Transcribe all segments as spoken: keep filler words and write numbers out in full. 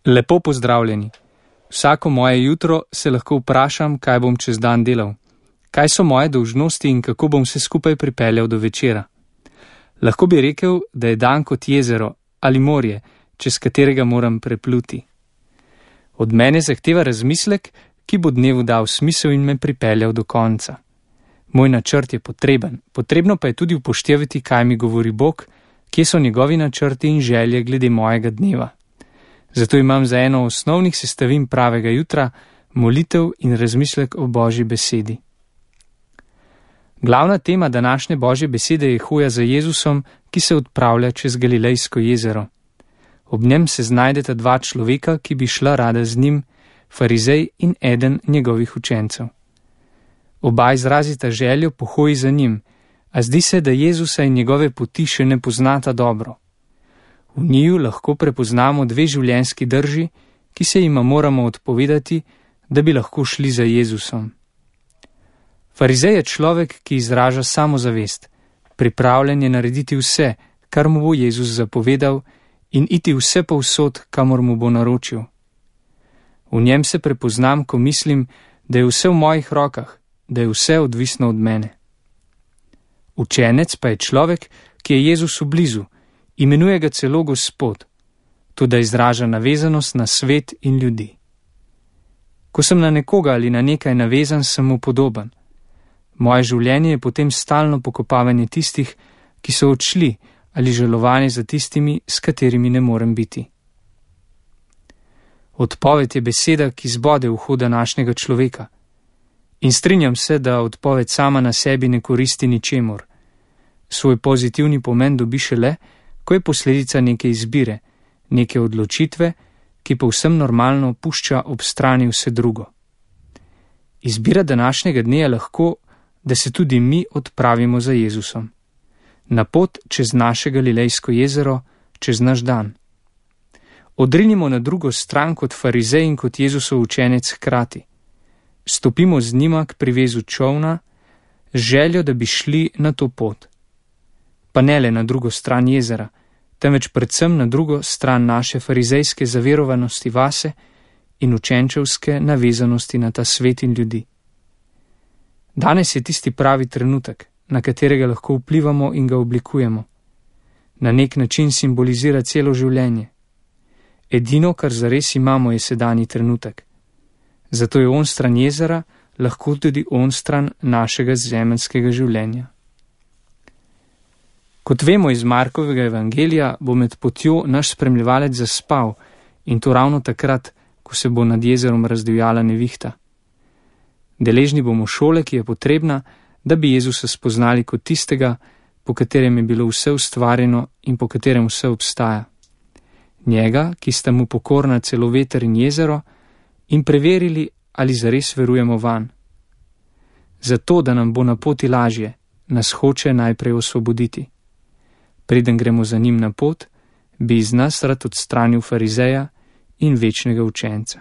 Lepo pozdravljeni. Vsako moje jutro se lahko vprašam, kaj bom čez dan delal, kaj so moje dolžnosti in kako bom se skupaj pripeljal do večera. Lahko bi rekel, da je dan kot jezero ali morje, čez katerega moram prepluti. Od mene zahteva razmislek, ki bo dnevu dal smisel in me pripeljal do konca. Moj načrt je potreben, potrebno pa je tudi upoštevati, kaj mi govori Bog, kje so njegovi načrti in želje glede mojega dneva. Zato imam za eno osnovnih sestavin pravega jutra molitev in razmislek o Božji besedi. Glavna tema današnje Božje besede je hoja za Jezusom, ki se odpravlja čez Galilejsko jezero. Ob njem se znajdeta dva človeka, ki bi šla rada z njim, farizej in eden njegovih učencev. Oba izrazita željo po hoji za njim, a zdi se, da Jezusa in njegove poti še ne poznata dobro. V njiju lahko prepoznamo dve življenjski drži, ki se jima moramo odpovedati, da bi lahko šli za Jezusom. Farizej je človek, ki izraža samozavest, pripravljen je narediti vse, kar mu bo Jezus zapovedal, in iti vse povsod, kamor mu bo naročil. V njem se prepoznam, ko mislim, da je vse v mojih rokah, da je vse odvisno od mene. Učenec pa je človek, ki je Jezusu blizu, imenuje ga celo Gospod, tudi izraža navezanost na svet in ljudi. Ko sem na nekoga ali na nekaj navezan, sem mu podoben. Moje življenje je potem stalno pokopavanje tistih, ki so odšli, ali žalovanje za tistimi, s katerimi ne morem biti. Odpoved je beseda, ki zbode uho današnjega človeka. In strinjam se, da odpoved sama na sebi ne koristi ničemur. Svoj pozitivni pomen dobi šele, ko je posledica neke izbire, neke odločitve, ki povsem normalno pušča ob strani vse drugo. Izbira današnjega dne je lahko, da se tudi mi odpravimo za Jezusom. Na pot čez naše Galilejsko jezero, čez naš dan. Odrinimo na drugo stran kot farizej in kot Jezusov učenec hkrati. Stopimo z njima k privezu čolna, z željo, da bi šli na to pot. Pa ne le na drugo stran jezera, temveč predvsem na drugo stran naše farizejske zaverovanosti vase in učenčevske navezanosti na ta svet in ljudi. Danes je tisti pravi trenutek, na katerega lahko vplivamo in ga oblikujemo. Na nek način simbolizira celo življenje. Edino, kar zares imamo, je sedanji trenutek. Zato je on stran jezera lahko tudi on stran našega zemeljskega življenja. Kot vemo iz Markovega evangelija, bo med potjo naš spremljevalec zaspal, in to ravno takrat, ko se bo nad jezerom razdivjala nevihta. Deležni bomo šole, ki je potrebna, da bi Jezusa spoznali kot tistega, po katerem je bilo vse ustvarjeno in po katerem vse obstaja. Njega, ki sta mu pokorna celo veter in jezero, in preverili, ali zares verujemo vanj. Zato, da nam bo na poti lažje, nas hoče najprej osvoboditi. Preden gremo za njim na pot, bi iz nas rad odstranil farizeja in večnega učenca.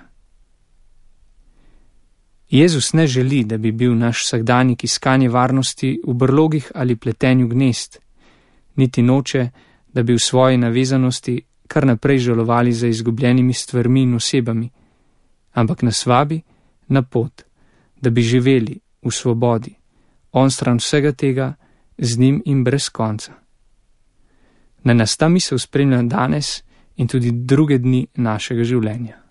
Jezus ne želi, da bi bil naš vsakdanjik iskanje varnosti v brlogih ali pletenju gnezd, niti noče, da bi v svoji navezanosti kar naprej žalovali za izgubljenimi stvarmi in osebami, ampak nas vabi na pot, da bi živeli v svobodi, on stran vsega tega, z njim in brez konca. Naj nas ta misel spremlja danes in tudi druge dni našega življenja.